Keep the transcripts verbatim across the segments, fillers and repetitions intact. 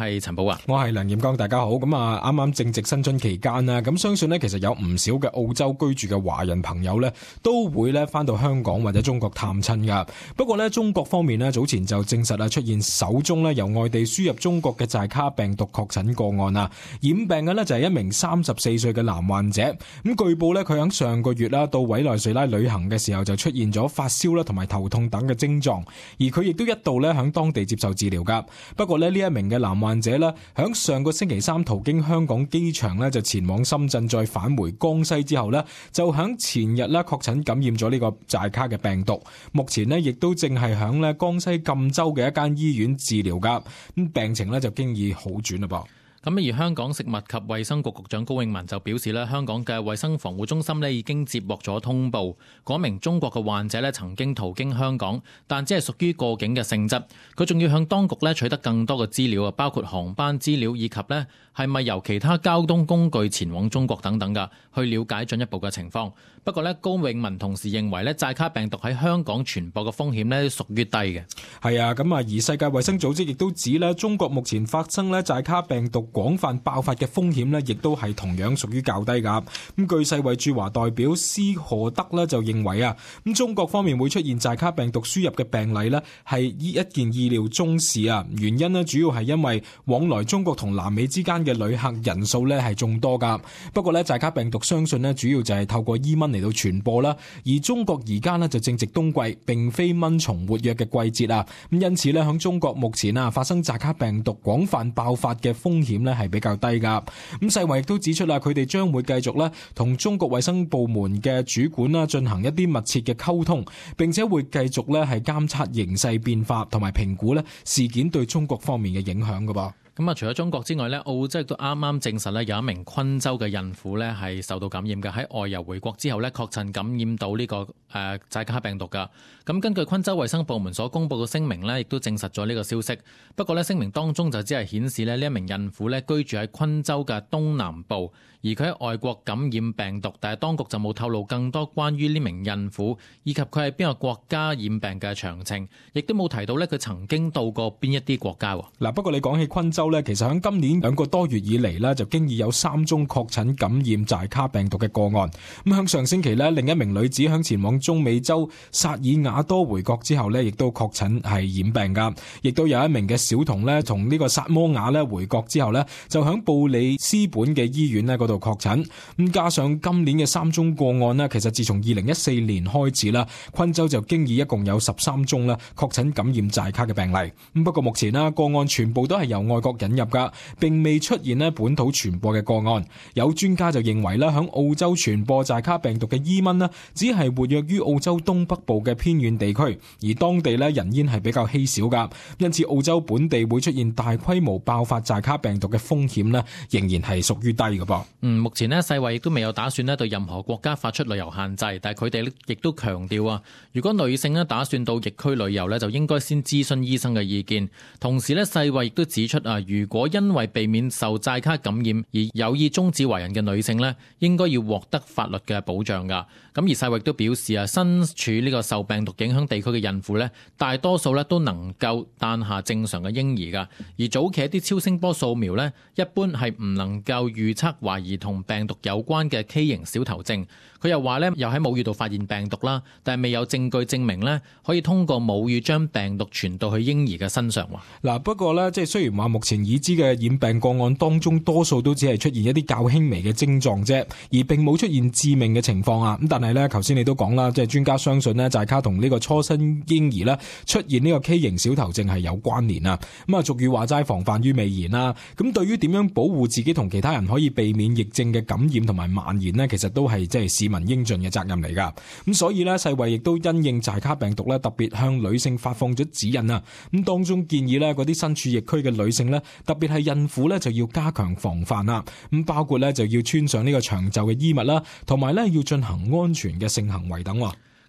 係陳寶華，我係梁彥剛，大家好。咁啊，啱啱正值新春期間啦，咁相信呢，其實有唔少嘅澳洲居住嘅華人朋友呢，都會呢返到香港或者中國探親噶。不過呢，中國方面呢，早前就證實啊出現首宗呢由外地輸入中國嘅寨卡病毒確診個案啊，染病嘅呢，就係一名三十四歲嘅男患者。咁據報呢，佢喺上個月啦到委內瑞拉旅行嘅時候就出現咗發燒啦同埋頭痛等嘅症狀，而佢亦都一度呢喺當地接受治療噶。不過呢，呢一名嘅男患者呢，響上個星期三途經香港機場呢，就前往深圳再返回江西之後呢，就響前日呢確診感染咗呢個寨卡嘅病毒。目前呢，亦都正係響呢江西贛州嘅一間醫院治療噶，咁病情呢，就經已好轉啦噃。咁而香港食物及衛生局局長高永文就表示咧，香港嘅衛生防護中心咧已經接獲咗通報，嗰名中國嘅患者咧曾經途經香港，但只係屬於過境嘅性質。佢仲要向當局咧取得更多嘅資料啊，包括航班資料以及咧係咪由其他交通工具前往中國等等噶，去了解進一步嘅情況。不過咧，高永文同時認為咧，寨卡病毒喺香港傳播嘅風險咧屬於低嘅。係啊，咁啊，而世界衛生組織亦都指咧，中國目前發生咧寨卡病毒廣泛爆發嘅風險呢，亦都係同樣屬於較低噶。咁據世衛駐華代表施荷德呢就認為啊，咁中國方面會出現寨卡病毒輸入嘅病例呢，係依一件意料中事啊。原因呢，主要係因為往來中國同南美之間嘅旅客人數呢係眾多噶。不過呢，寨卡病毒相信呢，主要就係透過伊蚊嚟到傳播啦。而中國而家呢，就正值冬季，並非蚊蟲活躍嘅季節啊。咁因此呢，響中國目前啊發生寨卡病毒廣泛爆發嘅風險呢係比較低噶。咁世衛亦都指出啦，佢哋將會繼續咧同中國衛生部門嘅主管啦進行一啲密切嘅溝通，並且會繼續咧係監測形勢變化同埋評估咧事件對中國方面嘅影響噶噃。咁啊，除咗中國之外咧，澳洲亦都啱啱證實咧有一名昆州嘅孕婦咧係受到感染嘅，喺外遊回國之後咧確診感染到呢個誒寨卡病毒噶。咁根據昆州衛生部門所公布嘅聲明咧，亦都證實咗呢個消息。不過咧，聲明當中就只係顯示咧呢一名孕婦咧居住喺昆州嘅東南部，而佢喺外國感染病毒，但係當局就冇透露更多關於呢名孕婦以及佢係邊個國家染病嘅詳情，亦都冇提到咧佢曾經到過邊一啲國家。嗱，不過你講起昆州咧，其實喺今年兩個多月以嚟咧，就經已有三宗確診感染寨卡病毒嘅個案。咁響上星期咧，另一名女子響前往中美洲薩爾瓦多回國之後咧，亦都確診係染病噶。亦都有一名嘅小童咧，從呢個薩摩亞咧回國之後咧，就響布里斯本嘅醫院咧嗰度確診。咁加上今年嘅三宗個案咧，其實自從二零一四年開始啦，昆州就經已一共有十三宗啦確診感染寨卡嘅病例。咁不過目前啦，個案全部都係由外國引入噶，並未出現咧本土傳播嘅個案。有專家就認為咧，響澳洲傳播寨卡病毒嘅伊蚊咧，只係活躍於澳洲東北部嘅偏遠地區，而當地咧人煙係比較稀少噶，因此澳洲本地會出現大規模爆發寨卡病毒嘅風險咧，仍然係屬於低嘅噃。嗯，目前咧世衛亦都未有打算咧對任何國家發出旅遊限制，但係佢哋亦都強調啊，如果女性咧打算到疫區旅遊咧，就應該先諮詢醫生嘅意見。同時咧，世衛亦都指出啊，如果因為避免受寨卡感染而有意終止懷孕嘅女性咧，應該要獲得法律嘅保障噶。咁而世衛亦都表示啊，身處呢個受病毒影響地區嘅孕婦咧，大多數咧都能夠誕下正常嘅嬰兒噶。而早期一啲超聲波掃描咧，一般係唔能夠預測懷疑同病毒有關嘅畸形小頭症。佢又話咧，又喺母乳度發現病毒啦，但係未有證據證明咧可以通過母乳將病毒傳到去嬰兒嘅身上。嗱，不過咧，即係雖然話目前已知嘅染病個案當中，多數都只係出現一啲較輕微嘅症狀啫，而並冇出現致命嘅情況啊。咁但係咧，頭先你都講啦，即係專家相信咧，寨卡同呢個初生嬰兒咧出現呢個畸形小頭症係有關聯啊。咁啊，俗語話齋防範於未然啦。咁對於點樣保護自己同其他人可以避免疫症嘅感染同埋蔓延呢，其實都係即係市民應盡嘅責任嚟噶。咁所以呢，世衛亦都因應寨卡病毒咧，特別向女性發放咗指引啊。咁當中建議呢，嗰啲身處疫區嘅女性呢，特別係孕婦呢，就要加強防範啦。咁包括呢，就要穿上呢個長袖嘅衣物啦，同埋呢要進行安全嘅性行為等。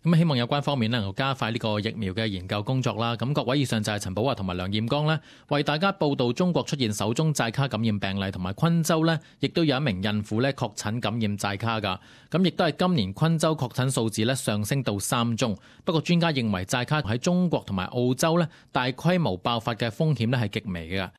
咁希望有關方面能夠加快呢個疫苗嘅研究工作啦。咁各位，以上就係陳寶華同埋梁彥剛呢，為大家報道中國出現首宗寨卡感染病例，同埋昆州呢亦都有一名孕婦呢確診感染寨卡噶。咁亦都係今年昆州確診數字呢上升到三宗。不過專家認為寨卡喺中國同埋澳洲呢大規模爆發嘅風險呢係極微嘅。